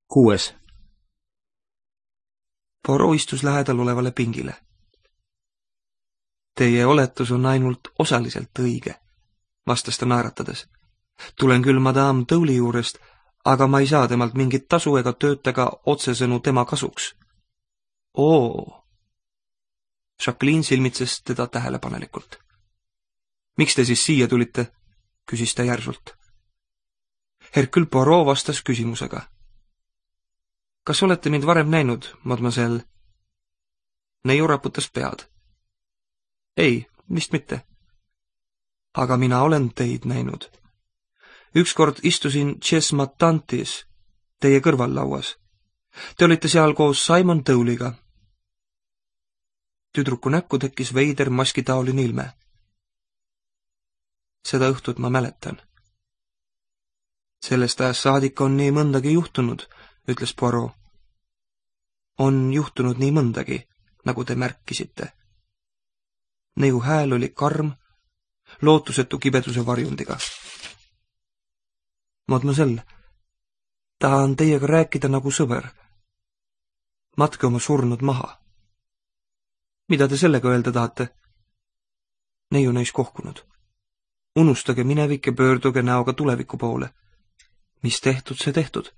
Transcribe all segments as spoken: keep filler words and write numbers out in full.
Kuues. Poirot istus lähedal olevale pingile. Teie oletus on ainult osaliselt õige, vastas ta naeratades. Tulen küll madame Tõuli juurest, aga ma ei saa temalt mingit tasu ega töötaga otsesõnu tema kasuks. Oo! Jacqueline silmitses teda tähelepanelikult. Miks te siis siia tulite? Küsis ta järsult. Hercule Poirot vastas küsimusega. Kas olete mind varem näinud, mademoiselle? Neiu raputas pead. Ei, vist mitte. Aga mina olen teid näinud. Ükskord istusin Chess Matantis, teie kõrvallauas. Te olite seal koos Simon Tõuliga. Tüdruku näkku tekkis veider maskitaoline ilme. Seda õhtut ma mäletan. Sellest ajast saadik on nii mõndagi juhtunud, ütles Poirot. On juhtunud nii mõndagi, nagu te märkisite. Neiu hääl oli karm, lootusetu kibeduse varjundiga. Mademoiselle, tahan teiega rääkida nagu sõber. Matke oma surnud maha. Mida te sellega öelda tahate? Neiu näis kohkunud. Unustage minevik ja pöörduge näoga tuleviku poole. Mis tehtud, see tehtud.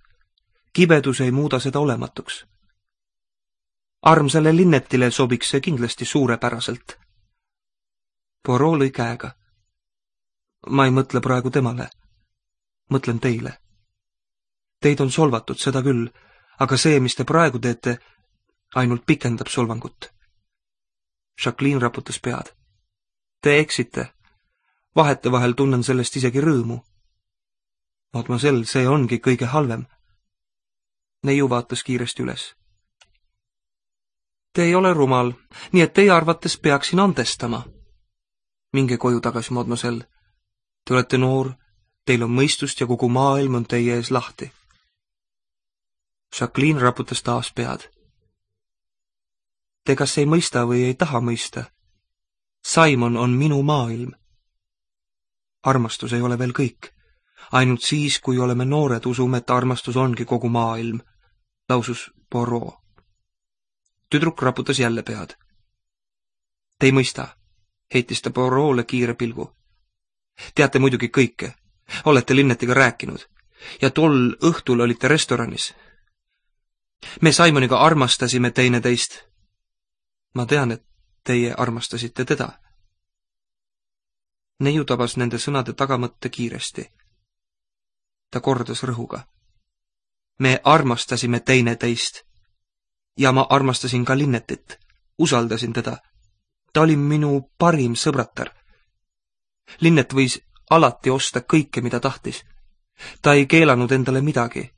Kibedus ei muuda seda olematuks. Armsale Linnetile sobiks see kindlasti suurepäraselt. Poirot lõi käega. Ma ei mõtle praegu temale. Mõtlen teile. Teid on solvatud, seda küll, aga see, mis te praegu teete, ainult pikendab solvangut. Jacqueline raputas pead. Te eksite. Vahetevahel tunnen sellest isegi rõõmu. Mademoiselle, see ongi kõige halvem. Neiu vaatas kiiresti üles. Te ei ole rumal, nii et teie arvates peaksin andestama. Minge koju tagasi, mademoiselle. Te olete noor, teil on mõistust ja kogu maailm on teie ees lahti. Jacqueline raputas taas pead. Te kas ei mõista või ei taha mõista? Simon on minu maailm. Armastus ei ole veel kõik. Ainult siis, kui oleme noored, usume, et armastus ongi kogu maailm, lausus Poirot. Tüdruk raputas jälle pead. Te ei mõista, heitis ta Poirot'le kiire pilgu. Teate muidugi kõike. Olete Linnetiga rääkinud. Ja tol õhtul olite restoranis. Me Simoniga armastasime teineteist. Ma tean, et teie armastasite teda. Neiu tabas nende sõnade tagamõtte kiiresti. Ta kordas rõhuga. Me armastasime teineteist. Ja ma armastasin ka Linnetit. Usaldasin teda. Ta oli minu parim sõbratar. Linnet võis alati osta kõike, mida tahtis. Ta ei keelanud endale midagi.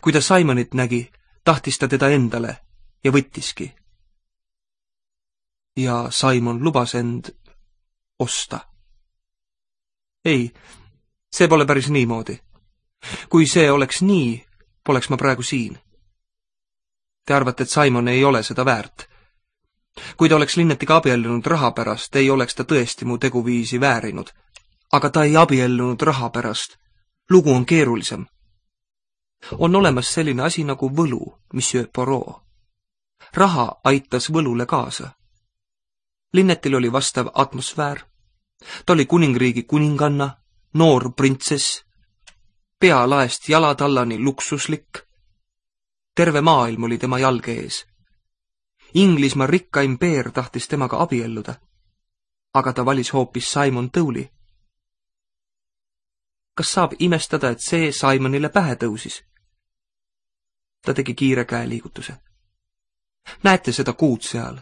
Kui ta Simonit nägi, tahtis ta teda endale ja võttiski. Ja Simon lubas end osta. Ei, see pole päris niimoodi. Kui see oleks nii, poleks ma praegu siin. Te arvate, et Simon ei ole seda väärt. Kui ta oleks Linnetiga abiellunud raha pärast, ei oleks ta tõesti mu teguviisi väärinud. Aga ta ei abiellunud raha pärast. Lugu on keerulisem. On olemas selline asi nagu võlu, monsieur Poirot. Raha aitas võlule kaasa. Linnetil oli vastav atmosfäär. Ta oli kuningriigi kuninganna, noor printsess, pea laest jalatallani luksuslik. Terve maailm oli tema jalge ees. Inglismaa rikka impeer tahtis temaga abielluda, aga ta valis hoopis Simon Tõuli. Kas saab imestada, et see Simonile pähe tõusis? Ta tegi kiire käeliigutuse. Näete seda kuud seal?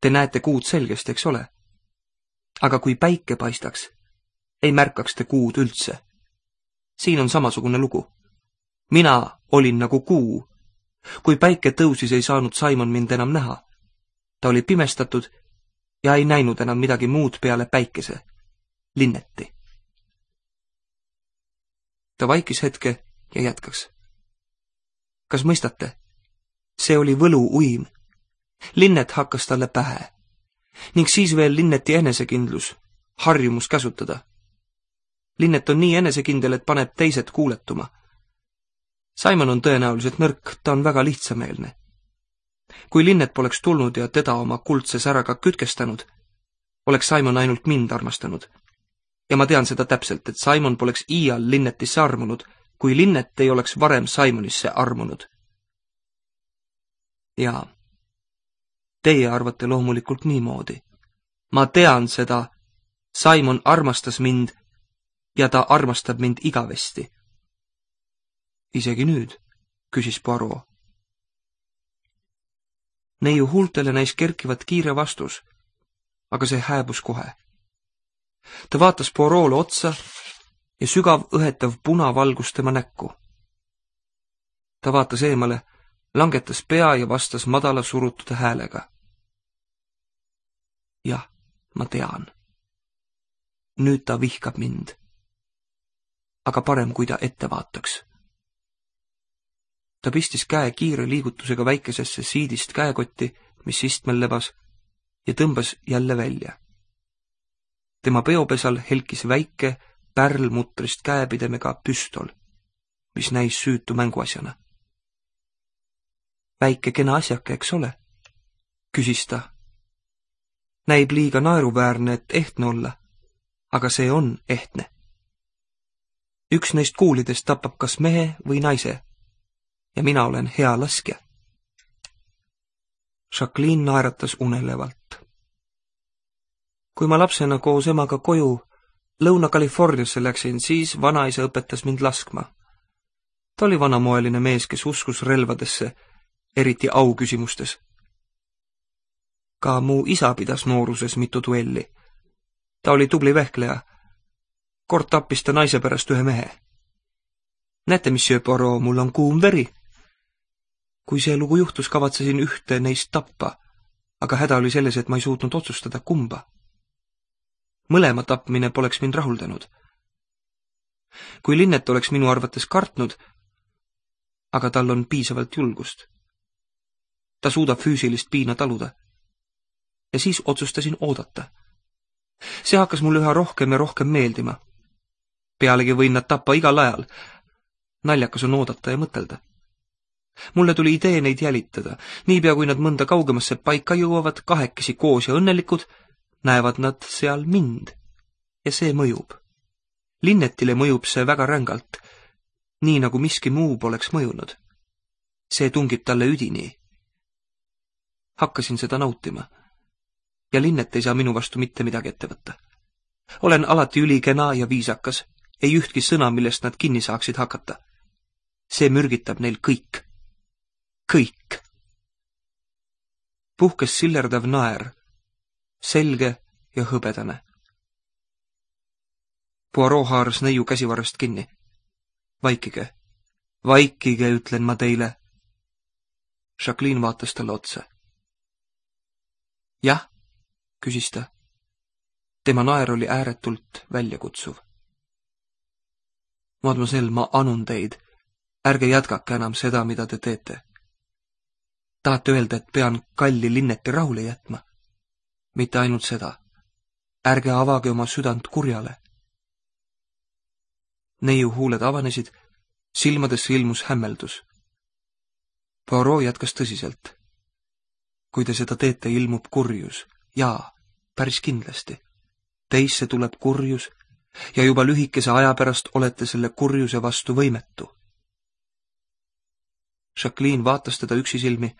Te näete kuud selgesti, eks ole? Aga kui päike paistaks, ei märkaks te kuud üldse. Siin on samasugune lugu. Mina olin nagu kuu. Kui päike tõusis, ei saanud Simon mind enam näha. Ta oli pimestatud ja ei näinud enam midagi muud peale päikese. Linneti. Ta vaikis hetke ja jätkaks. Kas mõistate? See oli võlu uim. Linnet hakkas talle pähe. Ning siis veel Linneti enesekindlus, harjumus käsutada. Linnet on nii enesekindel, et paneb teised kuuletuma. Simon on tõenäoliselt nõrk, ta on väga lihtsameelne. Kui Linnet poleks tulnud ja teda oma kuldse säraga kütkestanud, oleks Simon ainult mind armastanud. Ja ma tean seda täpselt, et Simon poleks iial Linnetisse armunud, kui Linnet ei oleks varem Simonisse armunud. Jaa, teie arvate loomulikult niimoodi. Ma tean seda, Simon armastas mind ja ta armastab mind igavesti. Isegi nüüd, küsis Poirot. Neiu huultele näis kerkivat kiire vastus, aga see hääbus kohe. Ta vaatas Poirot'le otsa ja sügav õhetav punavalgus tema näkku. Ta vaatas eemale, langetas pea ja vastas madala surutud häälega. Jah, ma tean. Nüüd ta vihkab mind. Aga parem, kui ta ette vaataks. Ta pistis käe kiire liigutusega väikesesse siidist käekotti, mis istmel lebas, ja tõmbas jälle välja. Tema peopesal helkis väike pärlmutrist käepidemega püstol, mis näis süütu mänguasjana. Väike kena asjake, eks ole? Küsis ta. Näib liiga naeruväärne, et ehtne olla, aga see on ehtne. Üks neist kuulidest tapab kas mehe või naise ja mina olen hea laskja. Jacqueline naeratas unelevalt. Kui ma lapsena koos emaga koju Lõuna-Californiasse läksin, siis vanaisa õpetas mind laskma. Ta oli vanamoeline mees, kes uskus relvadesse, eriti auküsimustes. Ka mu isa pidas nooruses mitu duelli. Ta oli tubli vehkleja. Kord tappis ta naise pärast ühe mehe. Näete, monsieur Poirot, mul on kuum veri. Kui see lugu juhtus, kavatsesin ühte neist tappa, aga häda oli selles, et ma ei suutnud otsustada kumba. Mõlema tapmine poleks mind rahuldanud. Kui Linnet oleks minu arvates kartnud, aga tal on piisavalt julgust. Ta suudab füüsilist piina taluda. Ja siis otsustasin oodata. See hakkas mulle üha rohkem ja rohkem meeldima. Pealegi võin nad tappa igal ajal. Naljakas on oodata ja mõtelda. Mulle tuli idee neid jälitada. Niipea kui nad mõnda kaugemasse paika jõuavad, kahekesi koos ja õnnelikud, näevad nad seal mind. Ja see mõjub. Linnetile mõjub see väga rängalt, nii nagu miski muu poleks mõjunud. See tungib talle üdini. Hakkasin seda nautima. Ja Linnet ei saa minu vastu mitte midagi ette võtta. Olen alati ülikena ja viisakas, ei ühtki sõna, millest nad kinni saaksid hakata. See mürgitab neil kõik. Kõik. Puhkes sillerdav naer, selge ja hõbedane. Poirot haaras neiu käsivarrest kinni. Vaikige, vaikige, ütlen ma teile. Jacqueline vaatas talle otsa. Jah, küsis ta. Tema naer oli ääretult väljakutsuv. Mademoiselle, ma anun teid. Ärge jätkake enam seda, mida te teete. Tahate öelda, et pean kalli Linneti rahule jätma? Mitte ainult seda. Ärge avage oma südant kurjale. Neiu huuled avanesid, silmadesse ilmus hämmeldus. Poirot jätkas tõsiselt. Kui te seda teete, ilmub kurjus. Jaa, päris kindlasti. Teisse tuleb kurjus ja juba lühikese aja pärast olete selle kurjuse vastu võimetu. Jacqueline vaatas teda üksisilmi,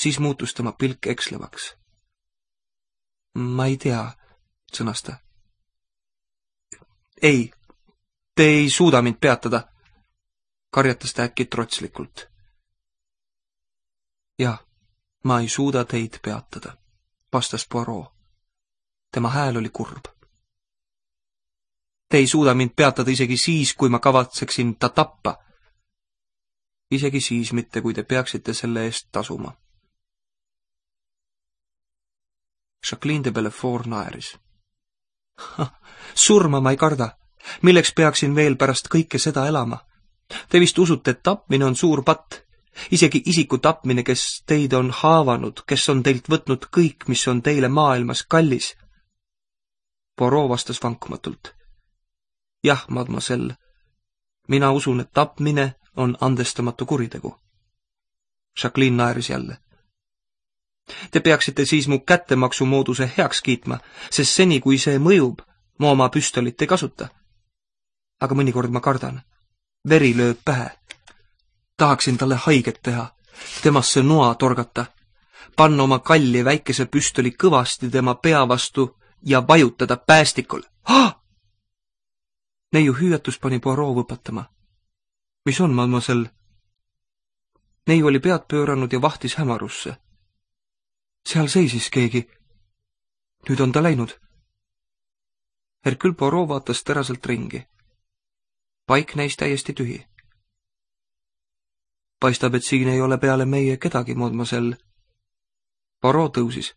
siis muutus tema pilk ekslevaks. Ma ei tea, sõnas ta. Ei, te ei suuda mind peatada, karjatas ta äkki trotslikult. Jah, ma ei suuda teid peatada, vastas Poirot. Tema hääl oli kurb. Te ei suuda mind peatada isegi siis, kui ma kavatseksin ta tappa. Isegi siis mitte, kui te peaksite selle eest tasuma. Jacqueline de Bellefort naeris. Surma ma ei karda. Milleks peaksin veel pärast kõike seda elama? Te vist usute, et tapmine on suur patt. Isegi isiku tapmine, kes teid on haavanud, kes on teilt võtnud kõik, mis on teile maailmas kallis. Poirot vastas vankumatult. Jah, mademoiselle, mina usun, et tapmine on andestamatu kuritegu. Jacqueline naeris jälle. Te peaksite siis mu kättemaksumooduse heaks kiitma, sest seni, kui see mõjub, ma oma püstolit ei kasuta. Aga mõnikord ma kardan. Veri lööb pähe. Tahaksin talle haiget teha, temasse noa torgata, panna oma kalli väikese püstoli kõvasti tema pea vastu ja vajutada päästikul. Ah! Neiu hüüatus pani Poirot võpatama. Mis on, mademoiselle? Neiu oli pead pööranud ja vahtis hämarusse. Seal seisis keegi. Nüüd on ta läinud. Hercule Poirot vaatas teraselt ringi. Paik näis täiesti tühi. Paistab, et siin ei ole peale meie kedagi, mademoiselle. Poirot tõusis.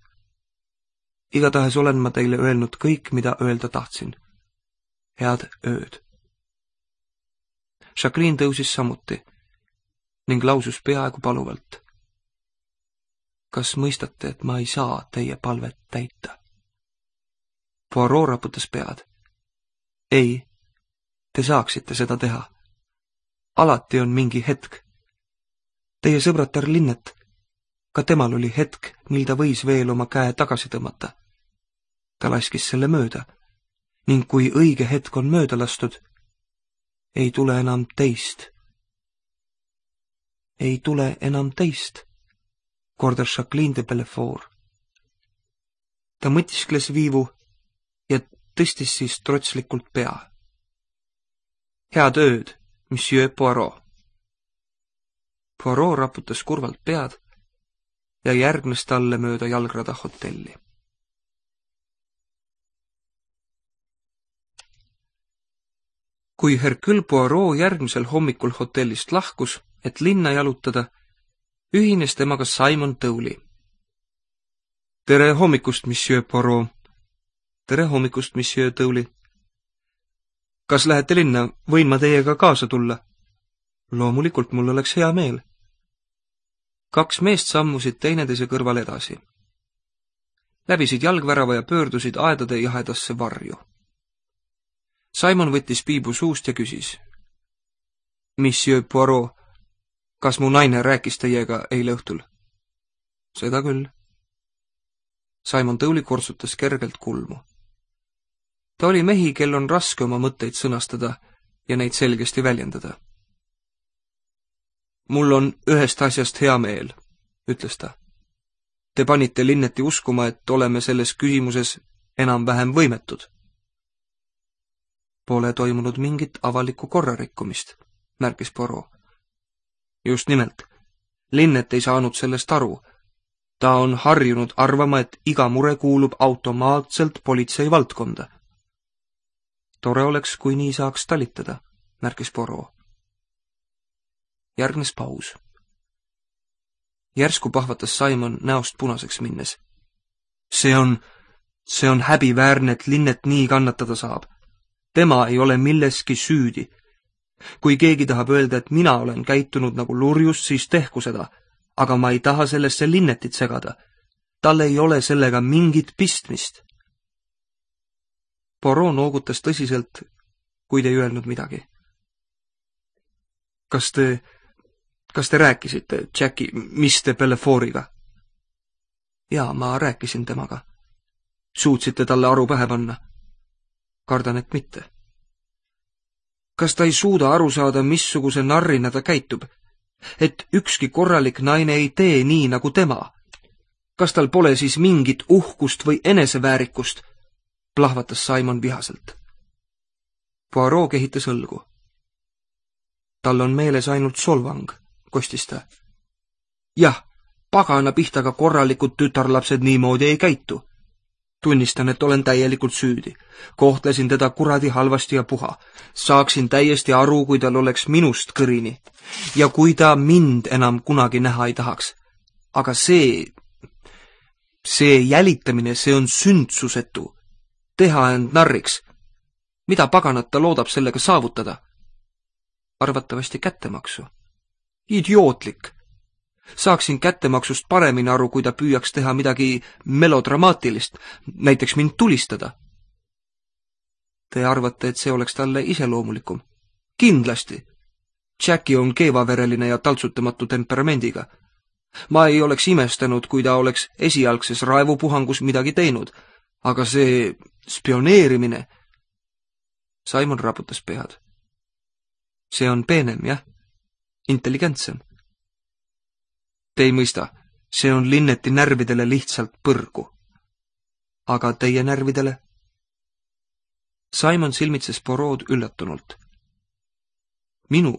Igatahes olen ma teile öelnud kõik, mida öelda tahtsin. Head ööd. Jacqueline tõusis samuti ning lausus peaaegu paluvalt. Kas mõistate, et ma ei saa teie palvet täita? Poirot raputas pead. Ei, te saaksite seda teha. Alati on mingi hetk. Teie sõbratar Linnet, ka temal oli hetk, mil ta võis veel oma käe tagasi tõmmata. Ta laskis selle mööda ning kui õige hetk on mööda lastud, ei tule enam teist. Ei tule enam teist, kordas Jacqueline de Bellefort. Ta mõtiskles viivu ja tõstis siis trotslikult pea. Head ööd, monsieur Poirot. Poirot raputas kurvalt pead ja järgnes talle mööda jalgrada hotelli. Kui Hercule Poirot järgmisel hommikul hotellist lahkus, et linna jalutada, ühines temaga Simon Towley. Tere hommikust, monsieur Poirot. Tere hommikust, monsieur Towley. Kas lähete linna, võin ma teiega kaasa tulla? Loomulikult mul oleks hea meel. Kaks meest sammusid teineteise kõrval edasi. Läbisid jalgvärava ja pöördusid aedade jahedasse varju. Simon võttis piibu suust ja küsis. Monsieur Poirot, kas mu naine rääkis teiega eile õhtul? Seda küll. Simon Towley kortsutas kergelt kulmu. Ta oli mehi, kel on raske oma mõtteid sõnastada ja neid selgesti väljendada. Mul on ühest asjast hea meel, ütles ta. Te panite Linneti uskuma, et oleme selles küsimuses enam-vähem võimetud. Pole toimunud mingit avalikku korrarikkumist, märkis Poirot. Just nimelt. Linnet ei saanud sellest aru. Ta on harjunud arvama, et iga mure kuulub automaatselt politsei valdkonda. Tore oleks, kui nii saaks talitada, märkis Poirot. Järgnes paus. Järsku pahvatas Simon näost punaseks minnes. See on, see on häbiväärne, et Linnet nii kannatada saab. Tema ei ole milleski süüdi. Kui keegi tahab öelda, et mina olen käitunud nagu lurjus, siis tehku seda, aga ma ei taha sellesse Linnetit segada. Tal ei ole sellega mingit pistmist. Poirot noogutas tõsiselt, kuid ei öelnud midagi. Kas te, kas te rääkisite Jackie mister Bellefortiga? Jaa, ma rääkisin temaga. Suutsite talle aru pähe panna? Kardan, et mitte. Kas ta ei suuda aru saada, missuguse narrina ta käitub? Et ükski korralik naine ei tee nii nagu tema? Kas tal pole siis mingit uhkust või eneseväärikust? Plahvatas Simon vihaselt. Poirot kehitas õlgu. Tal on meeles ainult solvang, kostis ta. Jah, pagana pihtaga korralikud tütarlapsed niimoodi ei käitu. Tunnistan, et olen täielikult süüdi. Kohtlesin teda kuradi halvasti ja puha. Saaksin täiesti aru, kui tal oleks minust kõrini. Ja kui ta mind enam kunagi näha ei tahaks. Aga see, see jälitamine, see on sündsusetu. Teha end narriks. Mida paganat ta loodab sellega saavutada? Arvatavasti kättemaksu. Idiootlik. Saaksin kättemaksust paremini aru, kui ta püüaks teha midagi melodramaatilist, näiteks mind tulistada. Te arvate, et see oleks talle iseloomulikum? Kindlasti. Jackie on keevavereline ja taltsutamatu temperamendiga. Ma ei oleks imestanud, kui ta oleks esialgses raevupuhangus midagi teinud, aga see spioneerimine... Simon raputas pead. See on peenem, jah? Intelligentsem. Te ei mõista, see on Linneti närvidele lihtsalt põrgu. Aga teie närvidele? Simon silmitses Poirot üllatunult. Minu?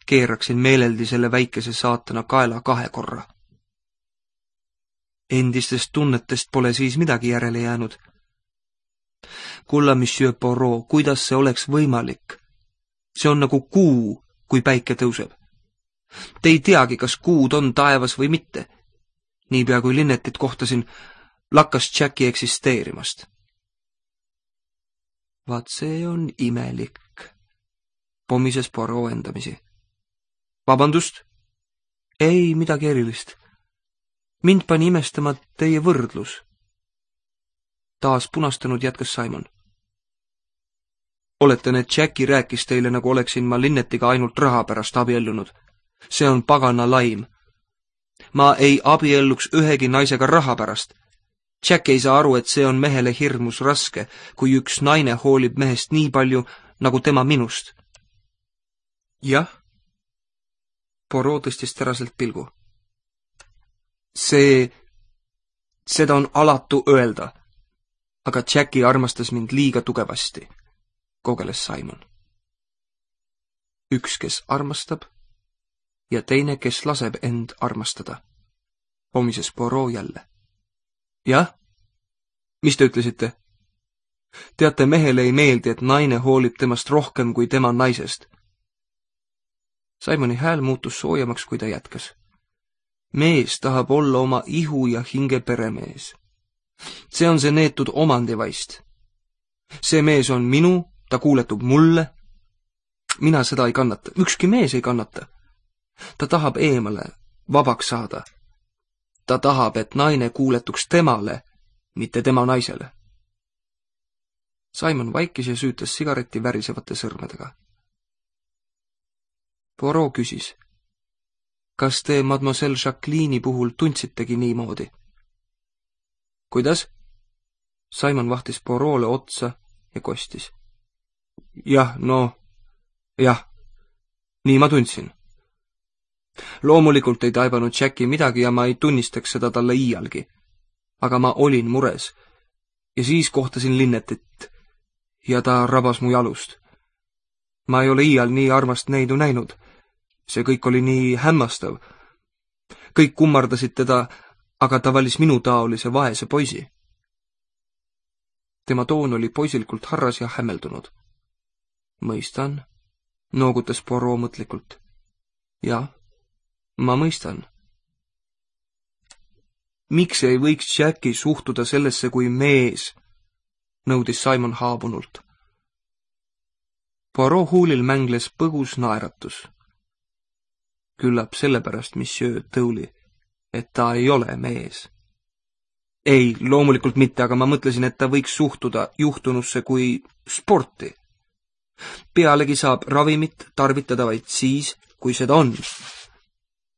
Keeraksin meeleldi selle väikese saatana kaela kahe korra. Endistest tunnetest pole siis midagi järele jäänud. Kulla, monsieur Poirot, kuidas see oleks võimalik? See on nagu kuu, kui päike tõuseb. Te ei teagi, kas kuud on taevas või mitte. Niipea kui Linnetit kohtasin, lakkas Jackie eksisteerimast. Vaat see on imelik, pomises Poirot endamisi. Vabandust? Ei, midagi erilist. Mind pani imestama teie võrdlus. Taas punastanud jätkas Simon. Oletan, et Jackie rääkis teile, nagu oleksin ma Linnetiga ainult raha pärast abiellunud. See on pagana laim. Ma ei abielluks ühegi naisega raha pärast. Jack ei saa aru, et see on mehele hirmus raske, kui üks naine hoolib mehest nii palju, nagu tema minust. Jah? Poirot tõstis teraselt pilgu. See, seda on alatu öelda, aga Jackie armastas mind liiga tugevasti, kogeles Simon. Üks, kes armastab, ja teine, kes laseb end armastada, pomises Poirot jälle. Jah? Mis te ütlesite? Teate, mehele ei meeldi, et naine hoolib temast rohkem kui tema naisest. Simoni hääl muutus soojamaks, kui ta jätkas. Mees tahab olla oma ihu ja hinge peremees. See on see neetud omandivaist. See mees on minu, ta kuuletub mulle. Mina seda ei kannata, ükski mees ei kannata. Ta tahab eemale, vabaks saada. Ta tahab, et naine kuuletuks temale, mitte tema naisele. Simon vaikis ja süütas sigareti värisevate sõrmedega. Poirot küsis, kas te mademoiselle Jacqueline'i puhul tundsitegi niimoodi? Kuidas? Simon vahtis Poirot'le otsa ja kostis. Jah, no, jah, nii ma tundsin. Loomulikult ei taibanud Jackie midagi ja ma ei tunnistaks seda talle iialgi. Aga ma olin mures. Ja siis kohtasin Linnetit ja ta rabas mu jalust. Ma ei ole iial nii armast neidu näinud. See kõik oli nii hämmastav. Kõik kummardasid teda, aga ta valis minu taolise vaese poisi. Tema toon oli poisilikult harras ja hämmeldunud. Mõistan, noogutas Poirot mõtlikult. Jah, ma mõistan. Miks ei võiks Jackie suhtuda sellesse kui mees, nõudis Simon haabunult. Poirot huulil mängles põgus naeratus. Küllap sellepärast, monsieur Tõuli, et ta ei ole mees. Ei, loomulikult mitte, aga ma mõtlesin, et ta võiks suhtuda juhtunusse kui sporti. Pealegi saab ravimit tarvitada vaid siis, kui seda on.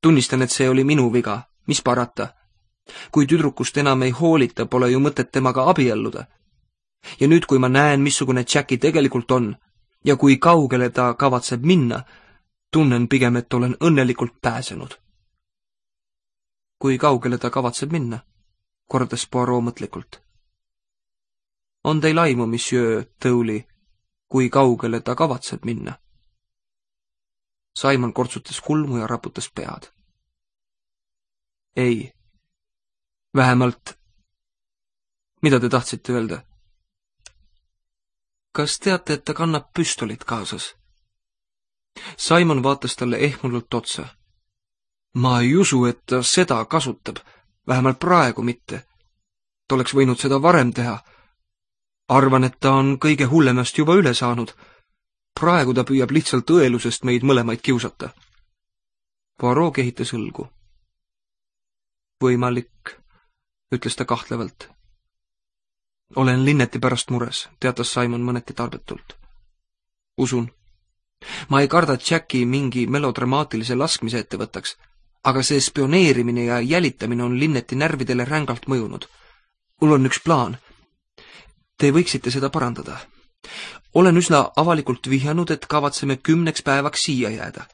Tunnistan, et see oli minu viga, mis parata. Kui tüdrukust enam ei hoolita, pole ju mõtet temaga abielluda. Ja nüüd, kui ma näen, missugune Jackie tegelikult on, ja kui kaugele ta kavatseb minna, tunnen pigem, et olen õnnelikult pääsenud. Kui kaugele ta kavatseb minna, kordas Poirot mõtlikult. On teil aimu, monsieur Tõuli, kui kaugele ta kavatseb minna? Simon kortsutas kulmu ja raputas pead. Ei. Vähemalt, mida te tahtsite öelda? Kas teate, et ta kannab püstolit kaasas? Simon vaatas talle ehmunult otsa. Ma ei usu, et ta seda kasutab, vähemalt praegu mitte. Ta oleks võinud seda varem teha. Arvan, et ta on kõige hullemast juba üle saanud. Praegu ta püüab lihtsalt õelusest meid mõlemaid kiusata. Poirot kehitas õlgu. Võimalik, ütles ta kahtlevalt. Olen Linneti pärast mures, teatas Simon mõneti tarbetult. Usun, ma ei karda, et Jacki mingi melodramaatilise laskmise ette võtaks, aga see spioneerimine ja jälitamine on Linneti närvidele rängalt mõjunud. Mul on üks plaan. Te võiksite seda parandada. Olen üsna avalikult vihjanud, et kavatseme kümneks päevaks siia jääda.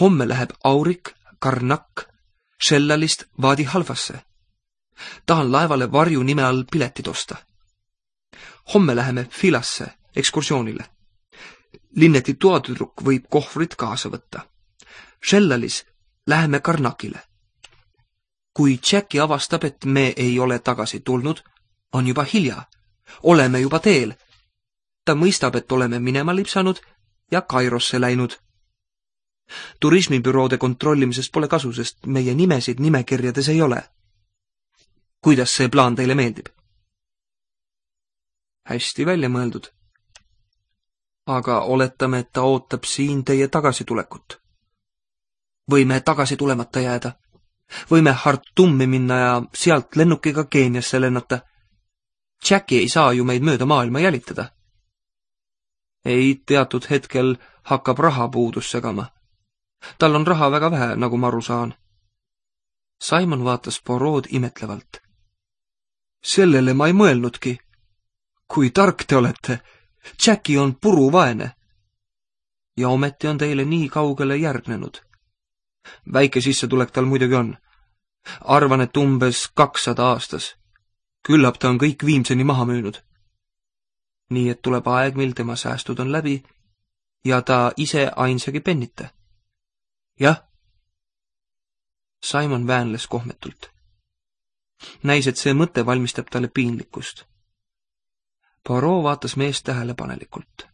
Homme läheb Aurik, Karnak, Shellalist Vaadi Halvasse. Tahan laevale varju nime all piletid osta. Homme läheme Filasse ekskursioonile. Linneti toatüdruk võib kohvrid kaasa võtta. Shellalis läheme Karnakile. Kui Jacki avastab, et me ei ole tagasi tulnud, on juba hilja. Oleme juba teel. Ta mõistab, et oleme minema lipsanud ja Kairosse läinud. Turismibüroode kontrollimisest pole kasu, sest meie nimesid nimekirjades ei ole. Kuidas see plaan teile meeldib? Hästi välja mõeldud. Aga oletame, et ta ootab siin teie tagasitulekut. Võime tagasi tulemata jääda. Võime Hartumi minna ja sealt lennukiga Keeniasse lennata. Jacki ei saa ju meid mööda maailma jälitada. Ei, teatud hetkel hakkab rahapuudus segama. Tal on raha väga vähe, nagu ma aru saan. Simon vaatas Poirot imetlevalt. Sellele ma ei mõelnudki. Kui tark te olete. Jacki on puruvaene. Ja ometi on teile nii kaugele järgnenud. Väike sissetulek tal muidugi on. Arvan, et umbes kakssada aastas. Küllap ta on kõik viimseni maha müünud. Nii et tuleb aeg, mil tema säästud on läbi ja ta ise ainsagi pennita. Jah. Simon väänles kohmetult. Näis, et see mõte valmistab talle piinlikkust. Poirot vaatas meest tähelepanelikult.